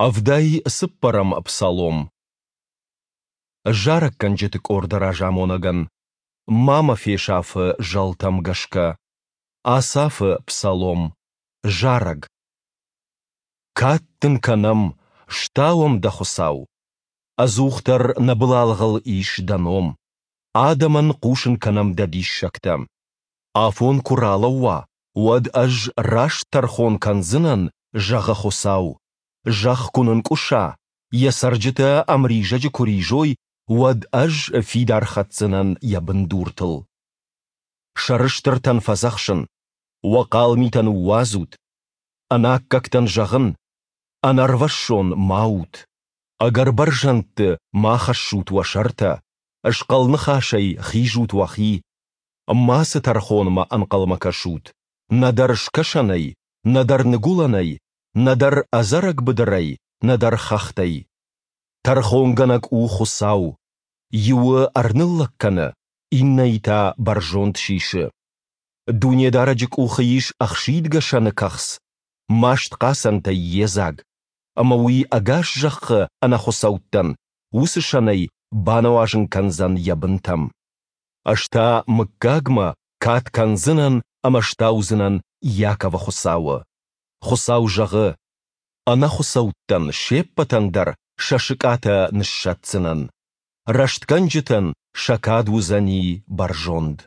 Ӕвдай цыппӕрӕм псалом. Зарӕггӕнджыты къорды разамонӕгӕн. Ма мӕ фесаф-ы зӕлтӕм гӕсгӕ. Асафы псалом. Зарӕг. Кад дын кӕнӕм, стауӕм дӕ, Хуыцау! Ӕдзухдӕр нӕ былалгъыл ис дӕ ном. Адӕмӕн хъусын кӕнӕм дӕ диссӕгтӕ. Афон куы ралӕууа, уӕд ӕз раст тӕрхон кӕндзынӕн, зӕгъы Хуыцау. Зӕхх куы нынкъуыса, йӕ цӕрджытӕ ӕмризӕджы куы ризой, уӕд ӕз фидар хӕцдзынӕн йӕ бындуртыл. Сӕрыстыртӕн фӕдзӕхсын, уӕ хъал митӕ ныууадзут. Ӕнаккӕгтӕн зӕгъын, ӕнӕрвӕссон ма ут. Ӕгӕр бӕрзӕндты ма хӕссут уӕ сӕртӕ, схъӕл ныхасӕй хизут уӕхи. Мацы тӕрхонмӕ ӕнхъӕлмӕ кӕсут, нӕдӕр скӕсӕнӕй, нӕдӕр ныгуылӕнӕй, нӕдӕр ӕдзӕрӕг быдырӕй, нӕдӕр хӕхтӕй. Тӕрхонгӕнӕг у Хуыцау, иуы ӕрныллӕг кӕны, иннӕйы та бӕрзонд сисы. Дунедарӕджы къухы ис ӕхсидгӕ сӕны кӕхц, маст хъацӕнтӕй йедзаг, ӕмӕ уый ӕгас зӕххы ӕнӕхуыцӕуттӕн уыцы сӕнӕй бануазын кӕндзӕн йӕ бынтӕм. Ӕз та мыггагмӕ кад кӕндзынӕн ӕмӕ стаудзынӕн Иаковы Хуыцауы. Хуыцау зӕгъы, Ӕнӕхуыцӕуттӕн се ппӕтӕн дӕр сӕ сыкъатӕ ныссӕтдзынӕн. Рӕстгӕнджытӕн сӕ кад уыдзӕни бӕрзонд.